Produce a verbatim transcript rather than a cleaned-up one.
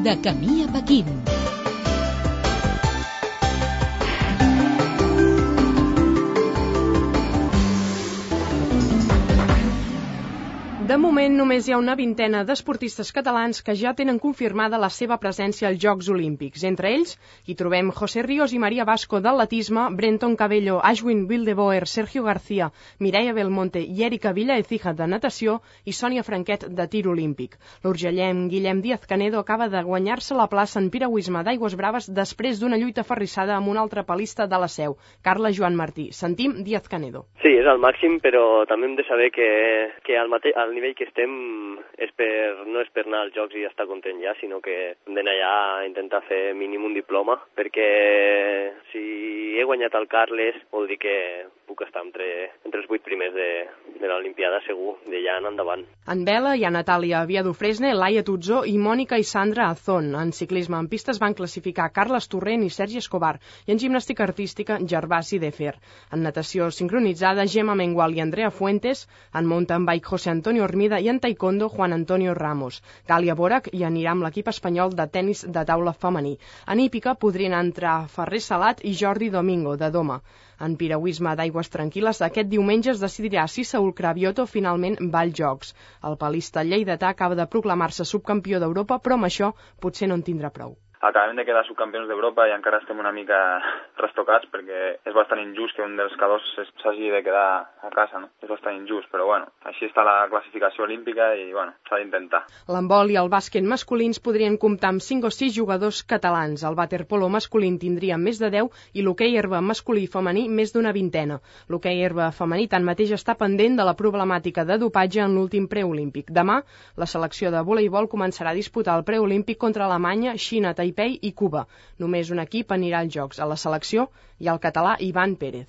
De camí a Pequín. De moment, només hi ha una vintena d'esportistes catalans que ja tenen confirmada la seva presència als Jocs Olímpics. Entre ells, hi trobem José Ríos i Maria Vasco d'atletisme, Brenton Cabello, Ashwin Wildeboer, Sergio García, Mireia Belmonte i Erika Villaecija de natació i Sònia Franquet de tir olímpic. L'urgellenc Guillem Díaz-Canedo acaba de guanyar-se la plaça en piragüisme d'aigües braves després d'una lluita ferrissada amb un altre palista de la Seu, Carla Joan Martí. Sentim Díaz-Canedo. Sí, és el màxim, però també hem de saber que, que al, mate al nivell que estem és per, no és per anar als Jocs i estar content ja, sinó que hem d'anar allà a intentar fer mínim un diploma, perquè si he guanyat el Carles vol dir que puc estar entre, entre els vuit primers de, de l'Olimpiada segur, d'allà en endavant. En vela hi ha Natàlia Viadufresne, Laia Tutzó i Mònica i Sandra Azón. En ciclisme en pistes van classificar Carles Torrent i Sergi Escobar, i en gimnàstica artística Gervasi Defer. En natació sincronitzada Gemma Mengual i Andrea Fuentes, en mountain bike José Antonio Hermida i en taekwondo Juan Antonio Ramos. Gàlia Borac hi anirà amb l'equip espanyol de tennis de taula femení. En hípica podrien entrar Ferrer Salat i Jordi Domingo, de Doma. En piragüisme d'aigües tranquil·les, aquest diumenge es decidirà si Saúl Cravioto finalment va als Jocs. El palista lleidatà acaba de proclamar-se subcampió d'Europa, però amb això potser no en tindrà prou. Acabem de quedar subcampions d'Europa i encara estem una mica restocats perquè és bastant injust que un dels cadors s'hagi de quedar a casa, no? És bastant injust, però bueno, així està la classificació olímpica i bueno, s'ha d'intentar. L'handbol i el bàsquet masculins podrien comptar amb cinc o sis jugadors catalans. El waterpolo masculí tindria més de deu i l'hoquei herba masculí i femení més d'una vintena. L'hoquei herba femení tanmateix està pendent de la problemàtica de dopatge en l'últim preolímpic. Demà, la selecció de voleibol començarà a disputar el preolímpic contra Alemanya, Xina, Taipei i Cuba. Només un equip anirà als Jocs. A la selecció hi ha el català Ivan Pérez.